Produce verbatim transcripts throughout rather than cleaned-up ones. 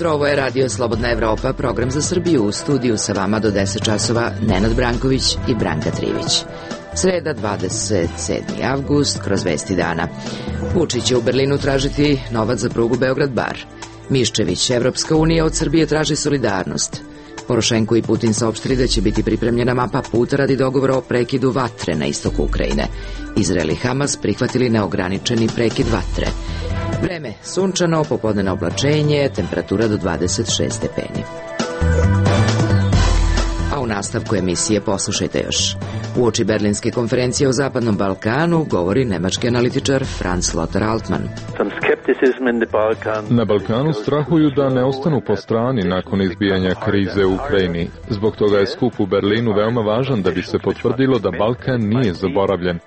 jutro, ovo je Radio Slobodna Evropa, program za Srbiju. U studiju sa vama do deset časova Nenad Branković i Branka Trivić. Sreda, dvadeset sedmi avgust, kroz vesti dana. Vučić će u Berlinu tražiti novac za prugu Beograd-Bar. Miščević, Evropska unija od Srbije traži solidarnost. Porošenko i Putin saopštili da će biti pripremljena mapa puta radi dogovora o prekidu vatre na istoku Ukrajine. Izrael i Hamas prihvatili neograničeni prekid vatre. Vreme sunčano, popodnevno oblačenje, temperatura do dvadeset šest stepeni. A u nastavku emisije poslušajte još. Uoči Berlinske konferencije o Zapadnom Balkanu govori nemački analitičar Franz Lothar Altmann. Na Balkanu strahuju da ne ostanu po strani nakon izbijanja krize u Ukrajini. Zbog toga je skup u Berlinu veoma važan da bi se potvrdilo da Balkan nije zaboravljen.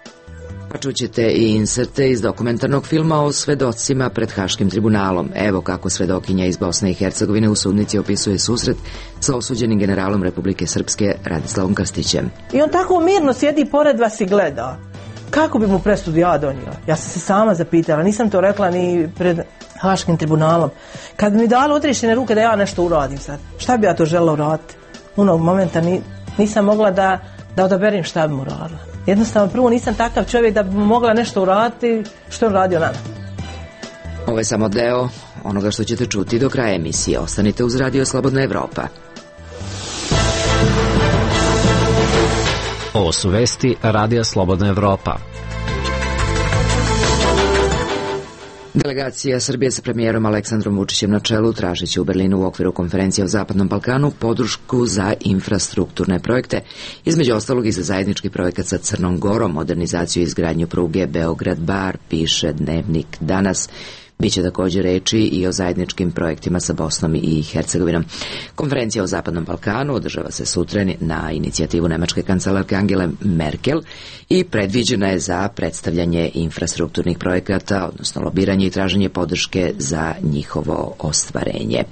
Pa čućete i inserte iz dokumentarnog filma o svedocima pred Haškim tribunalom. Evo kako svedokinja iz Bosne i Hercegovine u sudnici opisuje susret sa osuđenim generalom Republike Srpske Radislavom Krstićem. I on tako mirno sjedi pored vas i gleda. Kako bi mu presudu ja donijela? Ja sam se sama zapitala, nisam to rekla ni pred Haškim tribunalom. Kad mi dalo odriješene ruke da ja nešto uradim sad, šta bi ja to želela uraditi? Unog momenta ni, nisam mogla da, da odaberim šta bi mu uradila. Jednostavno, prvo nisam takav čovjek da bi mogla nešto uraditi što je on radio nama. Ovo je samo deo onoga što ćete čuti do kraja emisije. Ostanite uz Radio Slobodna Evropa. Ovo su vesti Radija Slobodna Evropa. Delegacija Srbije sa premijerom Aleksandrom Vučićem na čelu tražiće u Berlinu u okviru konferencije o Zapadnom Balkanu podršku za infrastrukturne projekte, između ostalog i za zajednički projekat sa Crnom Gorom, modernizaciju i izgradnju pruge Beograd-Bar, piše Dnevnik danas. Biće također reči i o zajedničkim projektima sa Bosnom i Hercegovinom. Konferencija o Zapadnom Balkanu održava se sutra na inicijativu nemačke kancelarke Angele Merkel i predviđena je za predstavljanje infrastrukturnih projekata, odnosno lobiranje i traženje podrške za njihovo ostvarenje.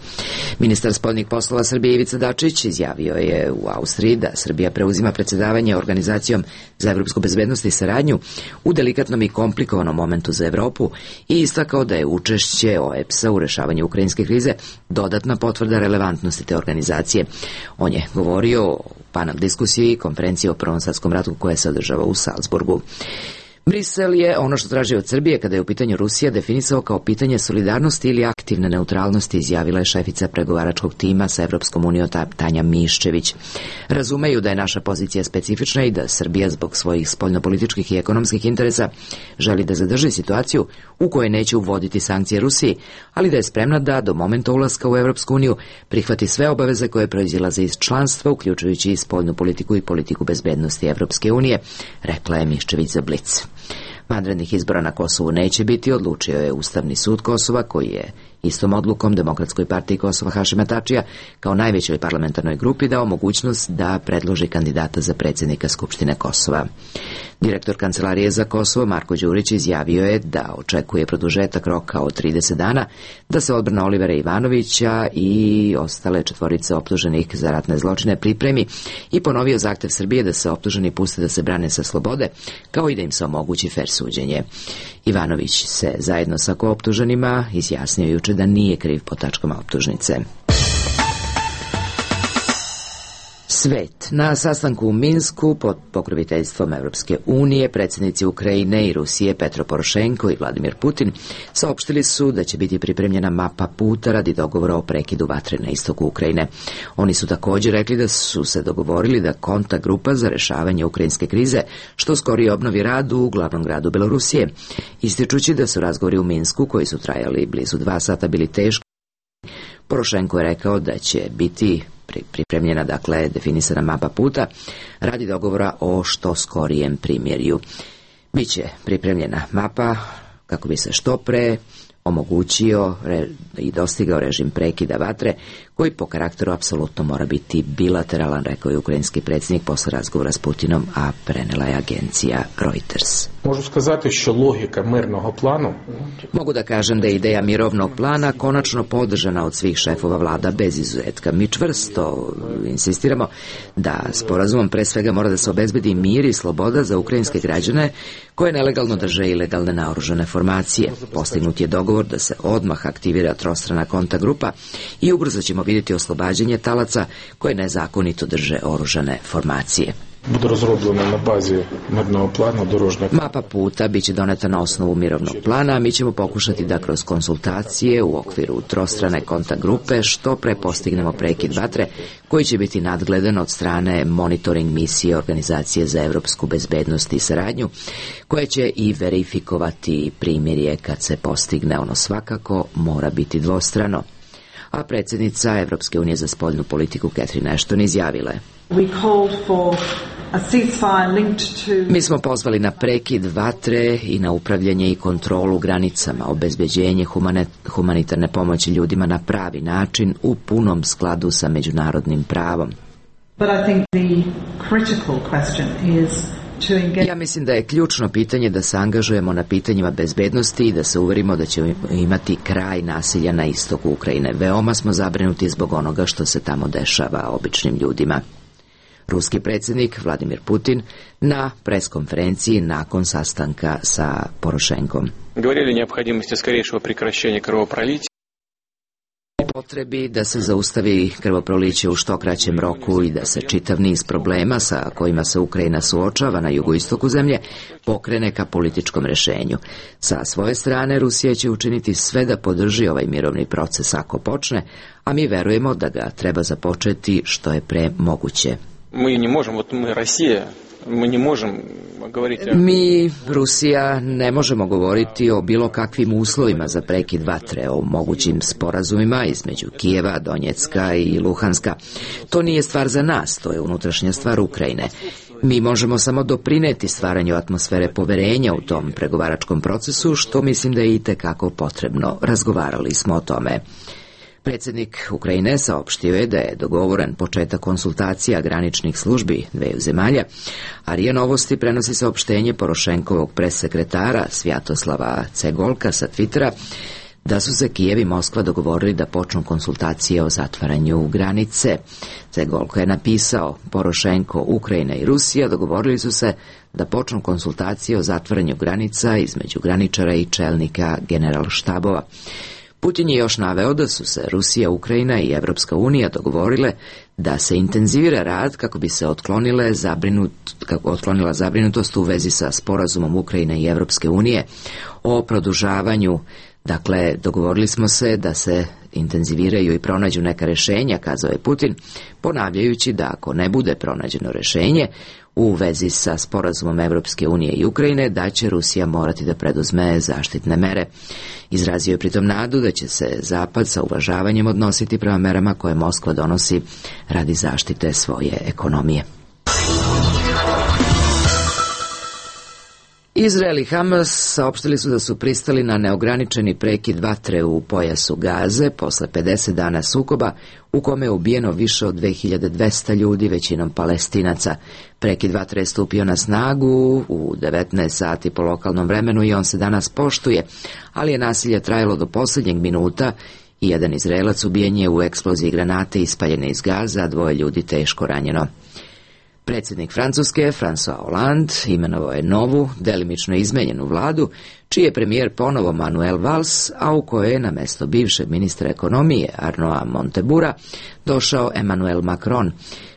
Ministar spoljnih poslova Srbije Ivica Dačić izjavio je u Austriji da Srbija preuzima predsjedavanje Organizacijom za evropsku bezbednost i saradnju u delikatnom i komplikovanom momentu za Evropu i istakao da je učešće O E B S-a u rešavanju ukrajinske krize dodatna potvrda relevantnosti te organizacije. On je govorio o panel diskusiji konferencije o Prvom svjetskom ratu koja se održava u Salzburgu. Brisel je ono što traži od Srbije kada je u pitanju Rusija definisao kao pitanje solidarnosti ili aktivne neutralnosti, izjavila je šefica pregovaračkog tima sa Evropskom unijom Tanja Miščević. Razumeju da je naša pozicija specifična i da Srbija zbog svojih spoljnopolitičkih i ekonomskih interesa želi da zadrži situaciju u kojoj neće uvoditi sankcije Rusiji, ali da je spremna da do momenta ulaska u Evropsku uniju prihvati sve obaveze koje proizilaze iz članstva, uključujući i spoljnu politiku i politiku bezbednosti Evropske unije, rekla je Miščević za Blic. Vanrednih izbora na Kosovu neće biti, odlučio je Ustavni sud Kosova, koji je istom odlukom Demokratskoj partiji Kosova Hašima Tačija kao najvećoj parlamentarnoj grupi dao mogućnost da predloži kandidata za predsjednika Skupštine Kosova. Direktor Kancelarije za Kosovo Marko Đurić izjavio je da očekuje produžetak roka od trideset dana da se odbrana Olivera Ivanovića i ostale četvorice optuženih za ratne zločine pripremi i ponovio zahtev Srbije da se optuženi puste da se brane sa slobode, kao i da im se omogući fer suđenje. Ivanović se zajedno sa kooptuženima izjasnio juče da nije kriv po tačkama optužnice. Svet. Na sastanku u Minsku pod pokroviteljstvom Evropske unije predsjednici Ukrajine i Rusije Petro Porošenko i Vladimir Putin saopštili su da će biti pripremljena mapa puta radi dogovora o prekidu vatre na istoku Ukrajine. Oni su također rekli da su se dogovorili da kontakt grupa za rešavanje ukrajinske krize što skorije obnovi rad u glavnom gradu Belorusije, ističući da su razgovori u Minsku koji su trajali blizu dva sata bili teški. Porošenko je rekao da će biti pripremljena, dakle, definisana mapa puta radi dogovora o što skorijem primirju. Biće pripremljena mapa kako bi se što pre omogućio re, i dostigao režim prekida vatre koji po karakteru apsolutno mora biti bilateralan, rekao je ukrajinski predsjednik posle razgovora s Putinom, a prenela je agencija Reuters. Можу сказати, що логіка мирного плану. Mogu da kažem da je ideja mirovnog plana konačno podržana od svih šefova vlada bez izuzetka. Mi čvrsto insistiramo da sporazumom pre svega mora da se obezbedi mir i sloboda za ukrajinske građane koje nelegalno drže ilegalne naoružane formacije. Postignut je dogovor da se odmah aktivira trostrana kontakt grupa i ubrzo ćemo vidjeti oslobađanje talaca koje nezakonito drže oružane formacije. Буде розроблено на базі мирного плану дорожнього. Mapa puta biće doneta na osnovu mirovnog plana, a mi ćemo pokušati da kroz konsultacije u okviru trostrane kontakt grupe što pre postignemo prekid vatre koji će biti nadgledan od strane monitoring misije Organizacije za evropsku bezbednost i saradnju, koja će i verifikovati primjerje kad se postigne. Ono svakako mora biti dvostrano. A predsjednica Evropske unije za spoljnu politiku Catherine Ashton izjavila je: Mi smo pozvali na prekid vatre i na upravljanje i kontrolu granicama, obezbeđenje humanitarne pomoći ljudima na pravi način u punom skladu sa međunarodnim pravom. Ja mislim da je ključno pitanje da se angažujemo na pitanjima bezbednosti i da se uverimo da ćemo imati kraj nasilja na istoku Ukrajine. Veoma smo zabrinuti zbog onoga što se tamo dešava običnim ljudima. Ruski predsjednik Vladimir Putin na preskonferenciji nakon sastanka sa Porošenkom. Govorili o neophodimosti skorejšeg prekraćenja krvoprolića. Potrebi da se zaustavi krvoproliće u što kraćem roku i da se čitav niz problema sa kojima se Ukrajina suočava na jugoistoku zemlje pokrene ka političkom rešenju. Sa svoje strane Rusija će učiniti sve da podrži ovaj mirovni proces ako počne, a mi verujemo da ga treba započeti što je pre moguće. Mi ne možemo, mi Rusija, mi ne možemo govoriti... Mi, Rusija, ne možemo govoriti o bilo kakvim uslovima za prekid vatre, o mogućim sporazumima između Kijeva, Donjecka i Luhanska. To nije stvar za nas, to je unutrašnja stvar Ukrajine. Mi možemo samo doprineti stvaranju atmosfere poverenja u tom pregovaračkom procesu, što mislim da je itekako potrebno. Razgovarali smo o tome. Predsjednik Ukrajine saopštio je da je dogovoren početak konsultacija graničnih službi dveju zemalja, a R I A Novosti prenosi saopštenje Porošenkovog pressekretara Svjatoslava Cegolka sa Twittera da su se Kijev i Moskva dogovorili da počnu konsultacije o zatvaranju granice. Cegolko je napisao: Porošenko, Ukrajina i Rusija dogovorili su se da počnu konsultacije o zatvaranju granica između graničara i čelnika generalštabova. Putin je još naveo da su se Rusija, Ukrajina i Evropska unija dogovorile da se intenzivira rad kako bi se otklonile zabrinut, kako otklonila zabrinutost u vezi sa sporazumom Ukrajine i Evropske unije o produžavanju. Dakle, dogovorili smo se da se intenziviraju i pronađu neka rešenja, kazao je Putin, ponavljajući da ako ne bude pronađeno rešenje u vezi sa sporazumom Evropske unije i Ukrajine, da će Rusija morati da preduzme zaštitne mere. Izrazio je pritom nadu da će se Zapad sa uvažavanjem odnositi prema merama koje Moskva donosi radi zaštite svoje ekonomije. Izrael i Hamas saopštili su da su pristali na neograničeni prekid vatre u pojasu Gaze posle pedeset dana sukoba u kome je ubijeno više od dve hiljade dvesta ljudi, većinom Palestinaca. Prekid vatre je stupio na snagu u devetnaest sati po lokalnom vremenu i on se danas poštuje, ali je nasilje trajalo do posljednjeg minuta i jedan Izraelac ubijen je u eksploziji granate ispaljene iz Gaza, a dvoje ljudi teško ranjeno. Predsjednik Francuske, François Hollande, imenovao je novu, delimično izmenjenu vladu, čiji je premijer ponovo Manuel Valls, a u kojoj je na mesto bivšeg ministra ekonomije Arnaud Montebourga došao Emmanuel Macron.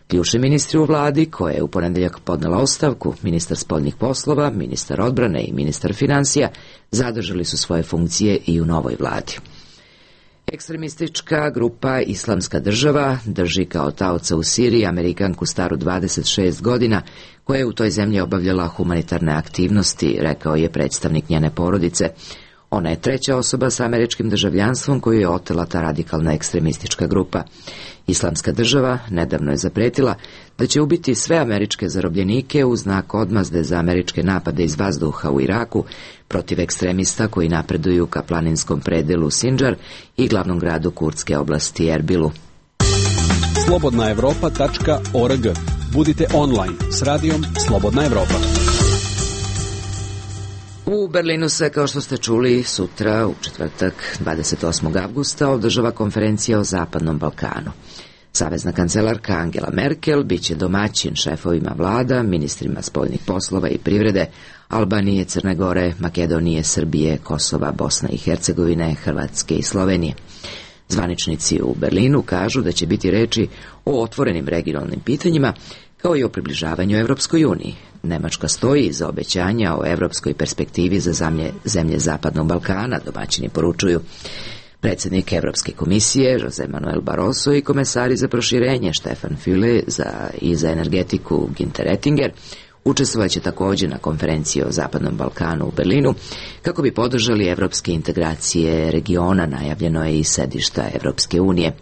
Ključni ministri u vladi, koja je u ponedeljak podnela ostavku, ministar spoljnih poslova, ministar odbrane i ministar financija, zadržali su svoje funkcije i u novoj vladi. Ekstremistička grupa Islamska država drži kao taoca u Siriji Amerikanku staru dvadeset šest godina, koja je u toj zemlji obavljala humanitarne aktivnosti, rekao je predstavnik njene porodice. Ona je treća osoba sa američkim državljanstvom koju je otela ta radikalna ekstremistička grupa. Islamska država nedavno je zapretila da će ubiti sve američke zarobljenike u znak odmazde za američke napade iz vazduha u Iraku protiv ekstremista koji napreduju ka planinskom predelu Sinjar i glavnom gradu kurdske oblasti Erbilu. slobodna evropa tačka org. Budite online s radijom Slobodna Evropa. U Berlinu se, kao što ste čuli, sutra, u četvrtak, dvadeset osmog avgusta, održava konferencija o Zapadnom Balkanu. Savezna kancelarka Angela Merkel biće domaćin šefovima vlada, ministrima spoljnih poslova i privrede Albanije, Crne Gore, Makedonije, Srbije, Kosova, Bosne i Hercegovine, Hrvatske i Slovenije. Zvaničnici u Berlinu kažu da će biti reči o otvorenim regionalnim pitanjima, kao i o približavanju Evropskoj uniji. Nemačka stoji iza obećanja o evropskoj perspektivi za zemlje, zemlje Zapadnog Balkana, domaćini poručuju. Predsjednik Evropske komisije Jose Manuel Barroso i komesari za proširenje Stefan Füle za, i za energetiku Günther Oettinger učestvovat će također na konferenciji o Zapadnom Balkanu u Berlinu kako bi podržali evropske integracije regiona, najavljeno je i sedišta Evropske unije.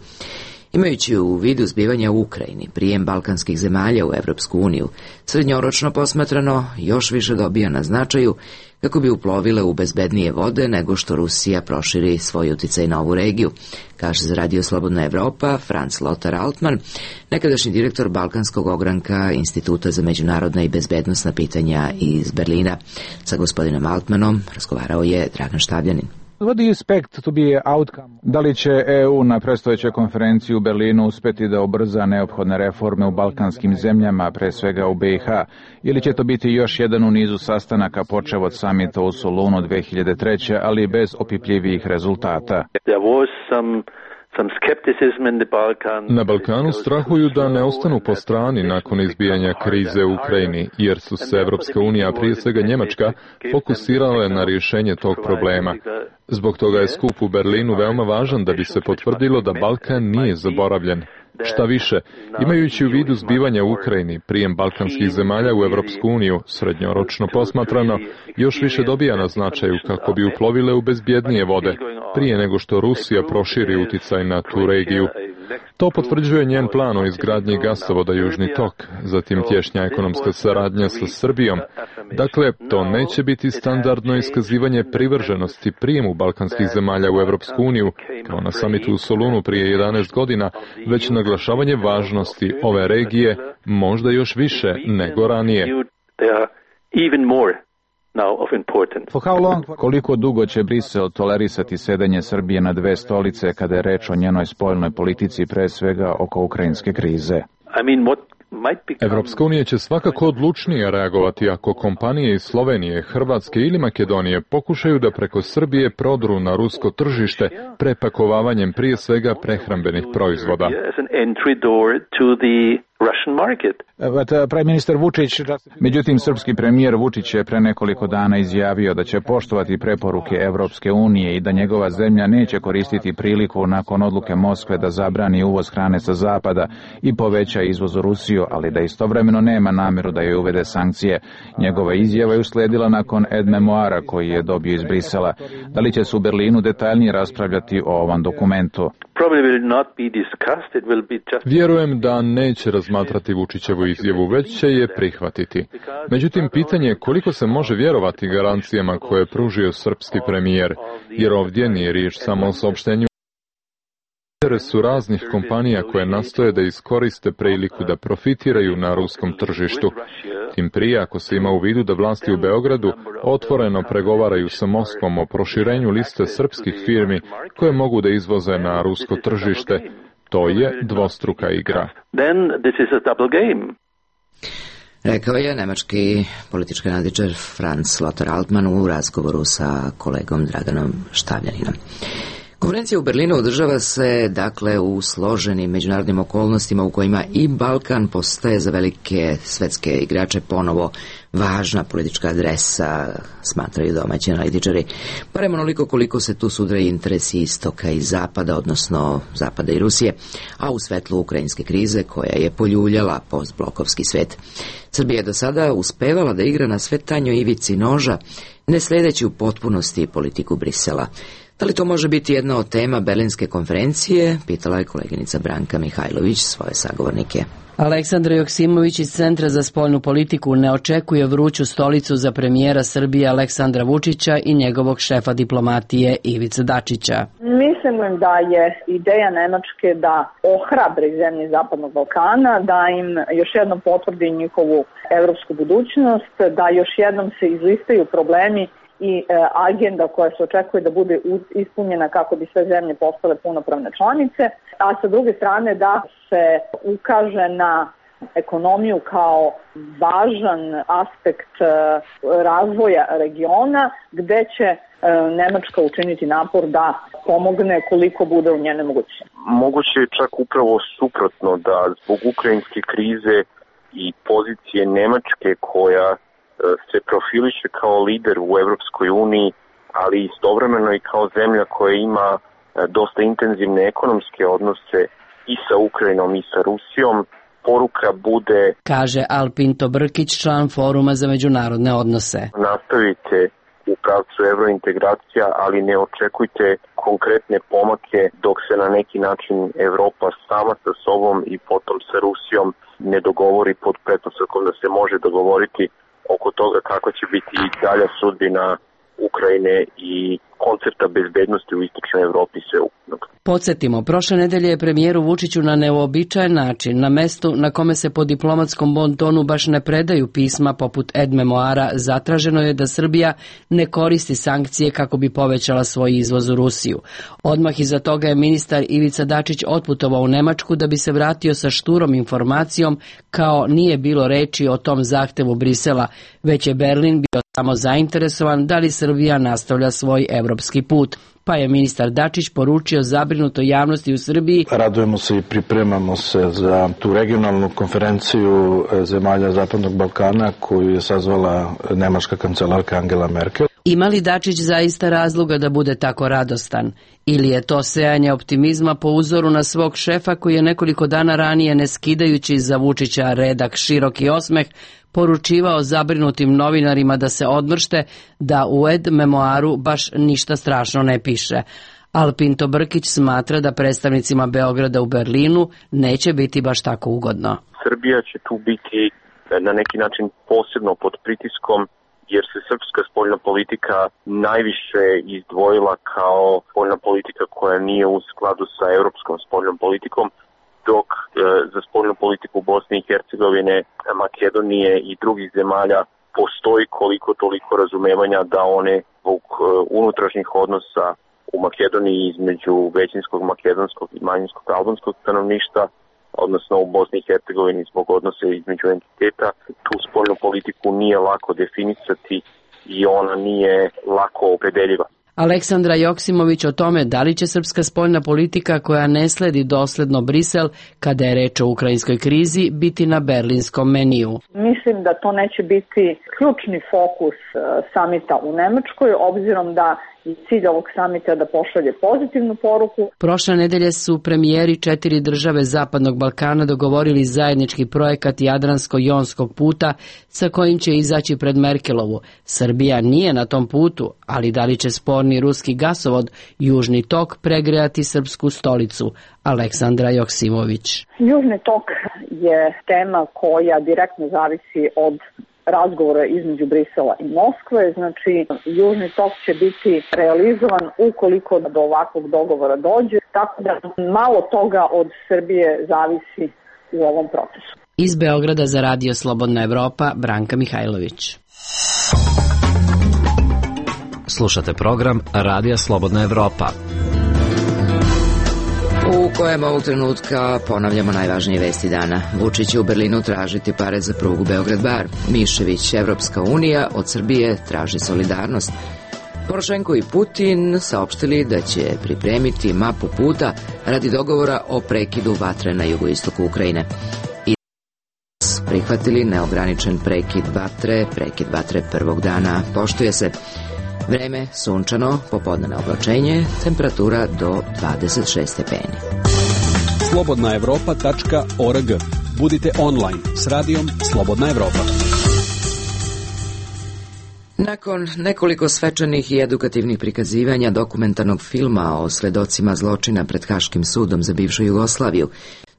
Imajući u vidu zbivanja u Ukrajini, prijem balkanskih zemalja u Evropsku uniju, srednjoročno posmatrano još više dobija na značaju kako bi uplovile u bezbednije vode nego što Rusija proširi svoj uticaj na ovu regiju, kaže za Radio Slobodna Evropa Franz Lothar Altmann, nekadašnji direktor Balkanskog ogranka Instituta za međunarodna i bezbednosna pitanja iz Berlina. Sa gospodinom Altmannom razgovarao je Dragan Štabljanin. What do you expect to be outcome? Da li će E U na predstojećoj konferenciji u Berlinu uspeti da ubrza neophodne reforme u balkanskim zemljama, pre svega u B i H, ili će to biti još jedan u nizu sastanaka počev od samita u Solunu dve hiljade treće, ali bez opipljivijih rezultata? There was some Na Balkanu strahuju da ne ostanu po strani nakon izbijanja krize u Ukrajini, jer su se Evropska unija, prije svega Njemačka, fokusirale na rješenje tog problema. Zbog toga je skup u Berlinu veoma važan da bi se potvrdilo da Balkan nije zaboravljen. Šta više, imajući u vidu zbivanja u Ukrajini, prijem balkanskih zemalja u Evropsku uniju, srednjoročno posmatrano, još više dobija na značaju kako bi uplovile u bezbjednije vode, prije nego što Rusija proširi uticaj na tu regiju. To potvrđuje njen plan o izgradnji gasovoda Južni tok, zatim tješnja ekonomska saradnja sa Srbijom. Dakle, to neće biti standardno iskazivanje privrženosti prijemu balkanskih zemalja u Evropsku uniju, kao na samitu u Solunu prije jedanaest godina, već naglašavanje važnosti ove regije možda još više nego ranije. For how long? Koliko dugo će Brisel tolerisati sedenje Srbije na dve stolice kada je reč o njenoj spoljnoj politici, pre svega oko ukrajinske krize? Evropska unija će svakako odlučnije reagovati ako kompanije iz Slovenije, Hrvatske ili Makedonije pokušaju da preko Srbije prodru na rusko tržište prepakovavanjem prije svega prehrambenih proizvoda. But, uh, Prime Minister Vučić, međutim, srpski premijer Vučić je pre nekoliko dana izjavio da će poštovati preporuke Evropske unije i da njegova zemlja neće koristiti priliku nakon odluke Moskve da zabrani uvoz hrane sa zapada i poveća izvoz u Rusiju, ali da istovremeno nema namjeru da joj uvede sankcije. Njegova izjava je usledila nakon ed memoara koji je dobio iz Brisela. Da li će se u Berlinu detaljnije raspravljati o ovom dokumentu? Vjerujem da neće razmatrati Vučićevu izjavu, već će je prihvatiti. Međutim, pitanje je koliko se može vjerovati garancijama koje je pružio srpski premijer, jer ovdje nije riječ samo o saopštenju interesu raznih kompanija koje nastoje da iskoriste priliku da profitiraju na ruskom tržištu. Tim prije ako se ima u vidu da vlasti u Beogradu otvoreno pregovaraju sa Moskvom o proširenju liste srpskih firmi koje mogu da izvoze na rusko tržište. To je dvostruka igra. Rekao je nemački politički analitičar Franz Lothar Altmann u razgovoru sa kolegom Draganom Štavljaninom. Konferencija u Berlinu održava se, dakle, u složenim međunarodnim okolnostima u kojima i Balkan postaje za velike svetske igrače ponovo važna politička adresa, smatraju domaći analitičari, barem onoliko koliko se tu sudraju interesi istoka i zapada, odnosno zapada i Rusije, a u svetlu ukrajinske krize koja je poljuljala postblokovski svet. Srbija je do sada uspevala da igra na sve tanjoj ivici noža, ne sledeći u potpunosti politiku Brisela. Da li to može biti jedna od tema Berlinske konferencije, pitala je koleginica Branka Mihajlović svoje sagovornike. Aleksandar Joksimović iz Centra za spoljnu politiku ne očekuje vruću stolicu za premijera Srbije Aleksandra Vučića i njegovog šefa diplomatije Ivice Dačića. Mi Mislim da je ideja Nemačke da ohrabri zemlje Zapadnog Balkana, da im još jednom potvrdi njihovu evropsku budućnost, da još jednom se izlistaju problemi i e, agenda koja se očekuje da bude ispunjena kako bi sve zemlje postale punopravne članice, a sa druge strane da se ukaže na ekonomiju kao važan aspekt e, razvoja regiona, gde će e, Nemačka učiniti napor da pomogne koliko bude u njene mogućnosti. Moguće je čak upravo suprotno, da zbog ukrajinske krize i pozicije Nemačke koja se profiliše kao lider u Evropskoj uniji, ali istovremeno i kao zemlja koja ima dosta intenzivne ekonomske odnose i sa Ukrajinom i sa Rusijom, poruka bude, kaže Alpinto Brkić, član Foruma za međunarodne odnose. Nastavite u pravcu evrointegracija, ali ne očekujte konkretne pomake dok se na neki način Evropa sama sa sobom i potom sa Rusijom ne dogovori pod pretpostavkom da se može dogovoriti oko toga kako će biti dalja sudbina Ukrajine i koncepta bezbednosti u istočnoj Evropi sveukupnog. Podsjetimo, prošle nedelje je premijeru Vučiću na neuobičajen način, na mestu na kome se po diplomatskom bontonu baš ne predaju pisma poput Ed Memoara, zatraženo je da Srbija ne koristi sankcije kako bi povećala svoj izvoz u Rusiju. Odmah iza toga je ministar Ivica Dačić otputovao u Nemačku da bi se vratio sa šturom informacijom kao nije bilo reči o tom zahtevu Brisela, već je Berlin bio samo zainteresovan da li Srbija nastavlja svoj evropski put. Pa je ministar Dačić poručio zabrinutoj javnosti u Srbiji: radujemo se i pripremamo se za tu regionalnu konferenciju zemalja Zapadnog Balkana koju je sazvala nemačka kancelarka Angela Merkel. Ima li Dačić zaista razloga da bude tako radostan? Ili je to sejanje optimizma po uzoru na svog šefa koji je nekoliko dana ranije, ne skidajući za Vučića redak široki osmeh, poručivao zabrinutim novinarima da se odmršte, da u Ed Memoaru baš ništa strašno ne piše. Alpinto Brkić smatra da predstavnicima Beograda u Berlinu neće biti baš tako ugodno. Srbija će tu biti na neki način posebno pod pritiskom, jer se srpska spoljna politika najviše izdvojila kao spoljna politika koja nije u skladu sa europskom spoljnom politikom, dok e, za spoljnu politiku Bosne i Hercegovine, Makedonije i drugih zemalja postoji koliko toliko razumevanja da one zbog e, unutrašnjih odnosa u Makedoniji između većinskog makedonskog i manjinskog albanskog stanovništva, odnosno u Bosni i Hercegovini zbog odnose između entiteta, tu spoljnu politiku nije lako definisati i ona nije lako opredeljiva. Aleksandra Joksimović o tome da li će srpska spoljna politika koja ne sledi dosledno Brisel kada je reč o ukrajinskoj krizi biti na berlinskom meniju. Mislim da to neće biti ključni fokus samita u Nemačkoj, obzirom da i cilj ovog samita da pošalje pozitivnu poruku. Prošle nedelje su premijeri četiri države Zapadnog Balkana dogovorili zajednički projekat Jadransko-jonskog puta sa kojim će izaći pred Merkelovu. Srbija nije na tom putu, ali da li će sporni ruski gasovod Južni tok pregrejati srpsku stolicu? Aleksandra Joksimović. Južni tok je tema koja direktno zavisi od razgovora između Brisela i Moskve, znači Južni tok će biti realizovan ukoliko do ovakvog dogovora dođe, tako da malo toga od Srbije zavisi u ovom procesu. Iz Beograda za Radio Slobodna Evropa, Branka Mihajlović. Slušate program Radija Slobodna Evropa, u kojem ovog trenutka ponavljamo najvažnije vesti dana. Vučić će u Berlinu tražiti pare za prugu Beograd-Bar. Mišević, Evropska unija od Srbije traži solidarnost. Porošenko i Putin saopštili da će pripremiti mapu puta radi dogovora o prekidu vatre na jugoistoku Ukrajine. I prihvatili neograničen prekid vatre, prekid vatre prvog dana poštuje se. Vreme sunčano, popodnevno oblačenje, temperatura do dvadeset šest stepeni. slobodna evropa tačka org. Budite online s radijom Slobodna Evropa. Nakon nekoliko svečanih i edukativnih prikazivanja dokumentarnog filma o svedocima zločina pred Haškim sudom za bivšu Jugoslaviju,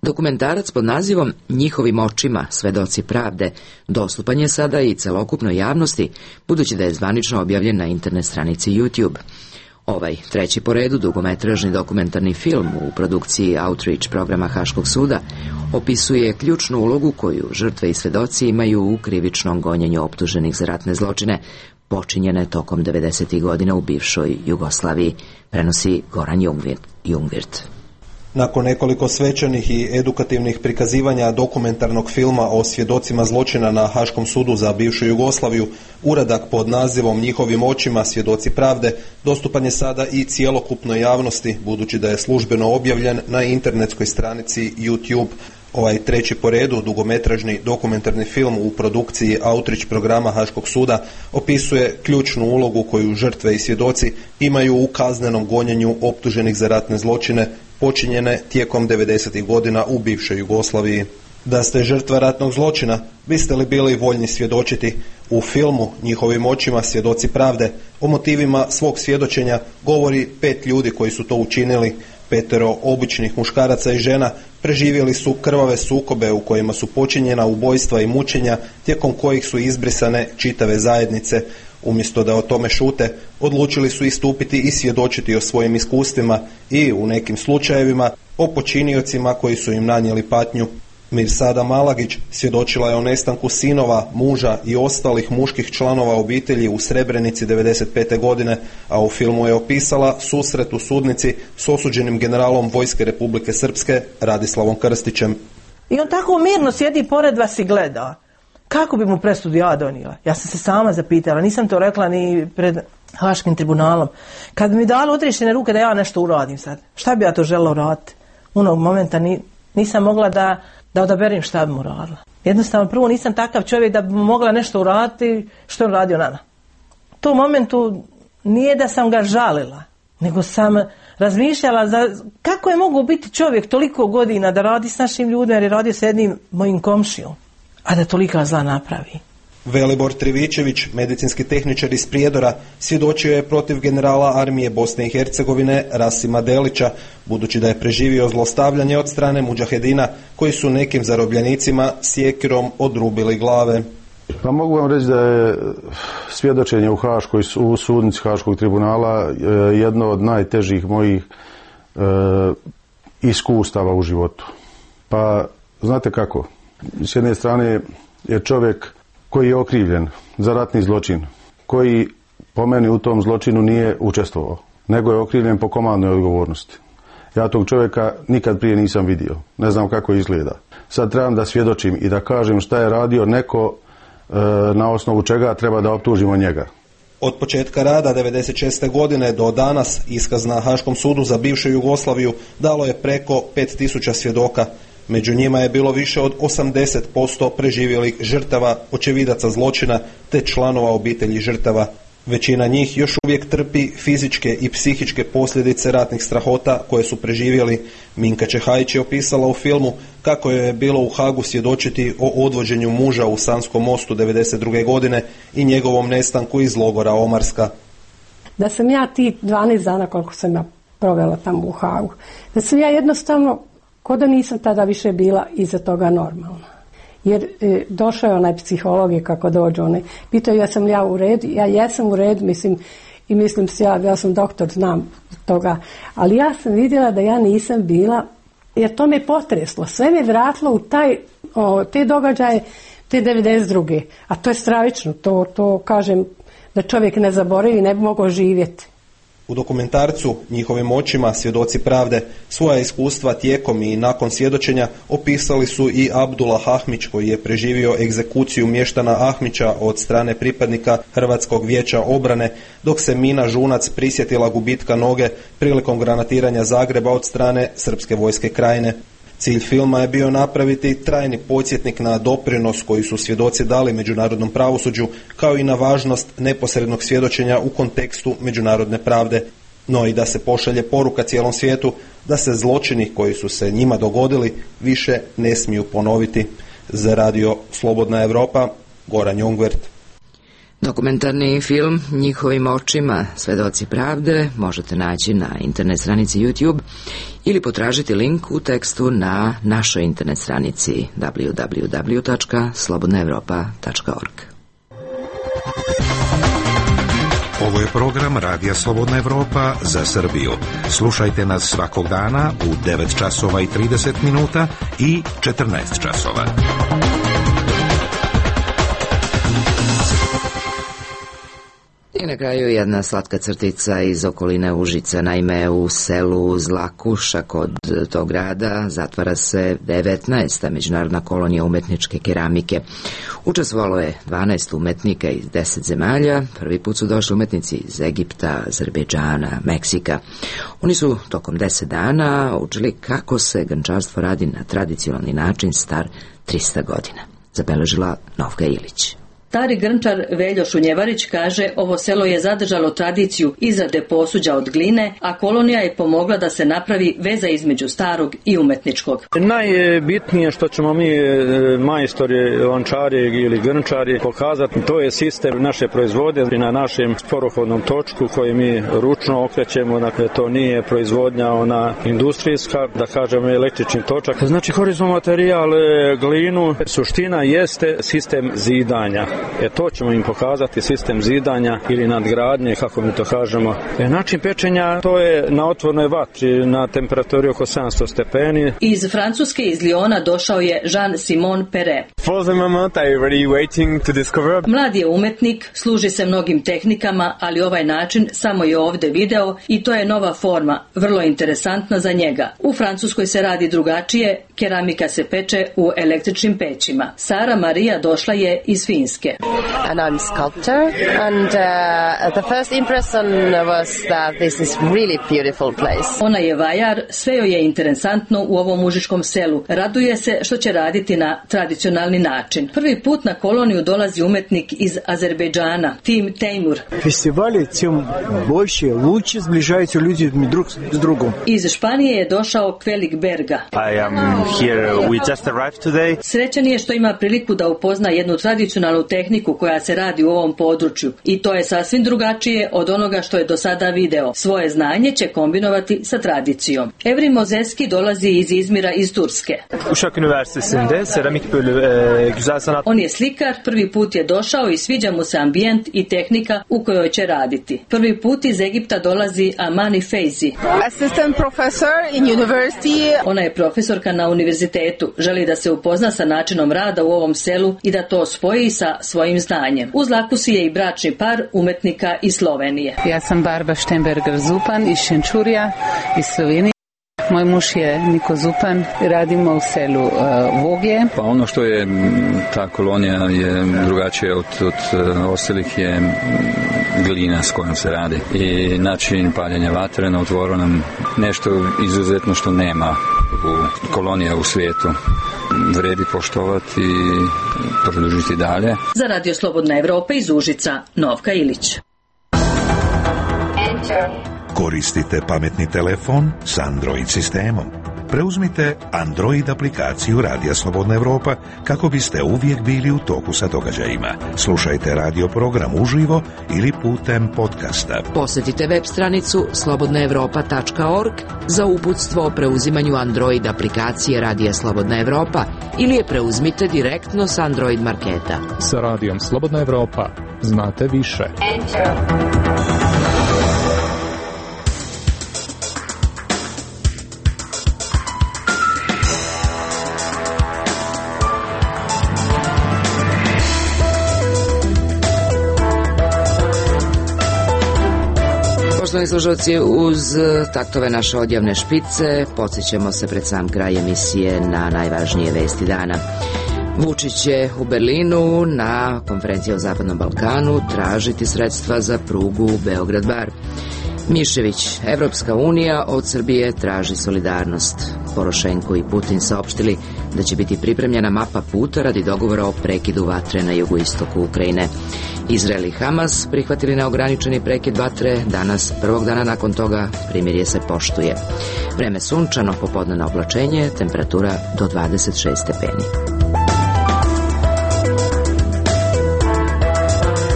dokumentarac pod nazivom Njihovim očima, svedoci pravde, dostupan je sada i celokupnoj javnosti, budući da je zvanično objavljen na internet stranici YouTube. Ovaj treći po redu dugometražni dokumentarni film u produkciji Outreach programa Haškog suda opisuje ključnu ulogu koju žrtve i svedoci imaju u krivičnom gonjenju optuženih za ratne zločine počinjene tokom devedesetih godina u bivšoj Jugoslaviji, prenosi Goran Jungwirth. Nakon nekoliko svečanih i edukativnih prikazivanja dokumentarnog filma o svjedocima zločina na Haškom sudu za bivšu Jugoslaviju, uradak pod nazivom Njihovim očima, svjedoci pravde, dostupan je sada i cjelokupnoj javnosti, budući da je službeno objavljen na internetskoj stranici YouTube. Ovaj treći po redu dugometražni dokumentarni film u produkciji Outreach programa Haškog suda opisuje ključnu ulogu koju žrtve i svjedoci imaju u kaznenom gonjenju optuženih za ratne zločine počinjene tijekom devedesetih godina u bivšoj Jugoslaviji. Da ste žrtva ratnog zločina, biste li bili voljni svjedočiti? U filmu Njihovim očima, svjedoci pravde, o motivima svog svjedočenja govori pet ljudi koji su to učinili. Petero običnih muškaraca i žena preživjeli su krvave sukobe u kojima su počinjena ubojstva i mučenja, tijekom kojih su izbrisane čitave zajednice. Umjesto da o tome šute, odlučili su istupiti i svjedočiti o svojim iskustvima i, u nekim slučajevima, o počiniocima koji su im nanijeli patnju. Mirsada Malagić svjedočila je o nestanku sinova, muža i ostalih muških članova obitelji u Srebrenici devedeset pete godine, a u filmu je opisala susret u sudnici s osuđenim generalom Vojske Republike Srpske Radislavom Krstićem. I on tako mirno sjedi pored vas i gleda. Kako bi mu presudu ja donijela? Ja sam se sama zapitala, nisam to rekla ni pred Haškim tribunalom. Kad bi mi dali odriješene ruke da ja nešto uradim sad, šta bi ja to željela uraditi? Unog momenta ni, nisam mogla da, da odaberim šta bi mu uradila. Jednostavno, prvo nisam takav čovjek da bi mogla nešto uraditi što je uradio nama. U tom momentu nije da sam ga žalila, nego sam razmišljala za, kako je mogao biti čovjek toliko godina da radi s našim ljudima, jer je radio s jednim mojim komšijom, a da tolika zla napravi. Velibor Trivičević, medicinski tehničar iz Prijedora, svjedočio je protiv generala armije Bosne i Hercegovine Rasima Delića, budući da je preživio zlostavljanje od strane mudžahedina koji su nekim zarobljenicima sjekirom odrubili glave. Pa mogu vam reći da je svjedočenje u Haškoj, u sudnici Haškog tribunala jedno od najtežih mojih e, iskustava u životu. Pa znate kako? S jedne strane je čovjek koji je okrivljen za ratni zločin, koji po meni u tom zločinu nije učestvovao, nego je okrivljen po komandnoj odgovornosti. Ja tog čovjeka nikad prije nisam vidio, ne znam kako izgleda. Sad trebam da svjedočim i da kažem šta je radio neko e, na osnovu čega treba da optužimo njega. Od početka rada devedeset šeste godine do danas iskaz na Haškom sudu za bivšu Jugoslaviju dalo je preko pet tisuća svjedoka. Među njima je bilo više od osamdeset posto preživjelih žrtava, očevidaca zločina te članova obitelji žrtava. Većina njih još uvijek trpi fizičke i psihičke posljedice ratnih strahota koje su preživjeli. Minka Čehajić je opisala u filmu kako je bilo u Hagu svjedočiti o odvođenju muža u Sanskom mostu devedeset druge godine i njegovom nestanku iz logora Omarska. Da sam ja ti dvanaest dana koliko sam ja provela tamo u Hagu, da sam ja jednostavno ko da nisam tada više bila iza toga normalna. Jer e, došao je onaj psiholog i kako dođe onaj, pitao ja sam ja u redu, ja jesam u redu, mislim, i mislim se ja, ja sam doktor, znam toga, ali ja sam vidjela da ja nisam bila, jer to me potreslo, sve me vratilo u taj, o, te događaje, te devedeset druge, a to je stravično, to, to kažem da čovjek ne zaboravi, ne bi mogao živjeti. U dokumentarcu Njihovim očima, svjedoci pravde, svoja iskustva tijekom i nakon svjedočenja opisali su i Abdullah Ahmić, koji je preživio egzekuciju mještana Ahmića od strane pripadnika Hrvatskog vijeća obrane, dok se Mina Žunac prisjetila gubitka noge prilikom granatiranja Zagreba od strane Srpske vojske Krajine. Cilj filma je bio napraviti trajni podsjetnik na doprinos koji su svjedoci dali međunarodnom pravosuđu, kao i na važnost neposrednog svjedočenja u kontekstu međunarodne pravde, no i da se pošalje poruka cijelom svijetu da se zločini koji su se njima dogodili više ne smiju ponoviti. Za radio Slobodna Evropa, Goran Jungwirth. Dokumentarni film Njihovim očima, svjedoci pravde možete naći na internet stranici YouTube ili potražiti link u tekstu na našoj internet stranici w w w tačka slobodna evropa tačka org. Ovo je program Radija Slobodna Evropa za Srbiju. Slušajte nas svakog dana u devet časova i trideset minuta i četrnaest časova. I na kraju jedna slatka crtica iz okoline Užica. Naime, u selu Zlakuša kod tog grada zatvara se devetnaesta međunarodna kolonija umetničke keramike. Učestvovalo je dvanaest umetnika iz deset zemalja. Prvi put su došli umetnici iz Egipta, Azerbejdžana, Meksika. Oni su tokom deset dana učili kako se grnčarstvo radi na tradicionalni način star trista godina. Zabeležila Novka Ilić. Stari grnčar Veljo Šunjevarić kaže ovo selo je zadržalo tradiciju izrade posuđa od gline, a kolonija je pomogla da se napravi veza između starog i umetničkog. Najbitnije što ćemo mi majstori, lančari ili grnčari pokazati, to je sistem naše proizvodnje na našem sporohodnom točku koji mi ručno okrećemo, dakle to nije proizvodnja ona industrijska, da kažemo električni točak. Znači horizontalni materijal, glinu, suština jeste sistem zidanja. E to ćemo im pokazati, sistem zidanja ili nadgradnje, kako mi to kažemo. E, način pečenja, to je na otvornoj vatri, na temperaturi oko sedamsto stepeni. Iz Francuske, iz Lyona, došao je Jean-Simon Perret. Mlad je umetnik, služi se mnogim tehnikama, ali ovaj način samo je ovde video i to je nova forma, vrlo interesantna za njega. U Francuskoj se radi drugačije, keramika se peče u električnim pećima. Sara Marija došla je iz Finske. And I'm a sculptor, and uh, the first impression was that this is really beautiful place. Ona je vajar, sve joj je interesantno u ovom užičkom selu. Raduje se što će raditi na tradicionalni način. Prvi put na koloniju dolazi umetnik iz Azerbejdžana, Tim Teimur. Festivali tim больше, лучше сближаются люди друг с другом. Iz Španije je došao Kvelik Berga. I am here, we just arrived today. Srećan je što ima priliku da upozna jednu tradicionalnu tehniku koja se radi u ovom području i to je sasvim drugačije od onoga što je do sada video. Svoje znanje će kombinovati sa tradicijom. Evrim Mozeski dolazi iz Izmira iz Turske. Uşak Üniversitesi'nde seramik bölümü, güzel sanat. On je slikar, prvi put je došao i sviđa mu se ambijent i tehnika u kojoj će raditi. Prvi put iz Egipta dolazi Amani Feizi. Assistant professor in university. Ona je profesorka na univerzitetu. Želi da se upozna sa načinom rada u ovom selu i da to spoji sa svojim znanjem. U Zlakusi je i bračni par umetnika iz Slovenije. Ja sam Barba Štemberger Zupan iz Šenčurja iz Slovenije. Moj muž je Niko Zupan, radimo u selu uh, Vogje. Pa ono što je ta kolonija je drugačije od, od ostalih je glina s kojom se radi i način paljenja vatre na otvorenom, nešto izuzetno što nema u kolonija u svijetu. Vredi poštovati i produžiti dalje. Za Radio Slobodna Evropa iz Užica, Novka Ilić. Koristite pametni telefon s Android sistemom. Preuzmite Android aplikaciju Radija Slobodna Evropa kako biste uvijek bili u toku sa događajima. Slušajte radio program uživo ili putem podcasta. Posjetite web stranicu slobodna evropa tačka org za uputstvo o preuzimanju Android aplikacije Radija Slobodna Evropa ili je preuzmite direktno s Android marketa. Sa Radijom Slobodna Evropa znate više. Poštovani slušalci, uz taktove naše odjavne špice podsjećamo se pred sam kraj emisije na najvažnije vesti dana. Vučić će u Berlinu na konferenciji o Zapadnom Balkanu tražiti sredstva za prugu Beograd-Bar. Mišević, Evropska unija od Srbije traži solidarnost. Porošenko i Putin saopštili da će biti pripremljena mapa puta radi dogovora o prekidu vatre na jugoistoku Ukrajine. Izrael i Hamas prihvatili neograničeni prekid vatre. Danas, prvog dana nakon toga, primirje se poštuje. Vreme sunčano, popodnevno oblačenje, temperatura do dvadeset šest stepeni.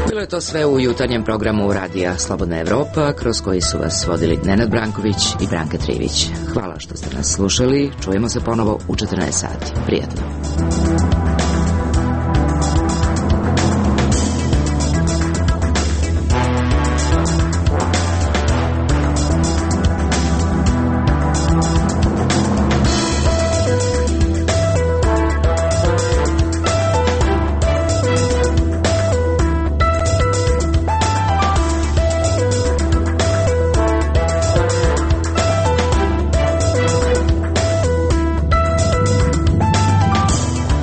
Bilo je to sve u jutarnjem programu Radija Slobodna Evropa, kroz koji su vas vodili Nenad Branković i Branka Trivić. Hvala što ste nas slušali. Čujemo se ponovo u četrnaest sati. Prijatno.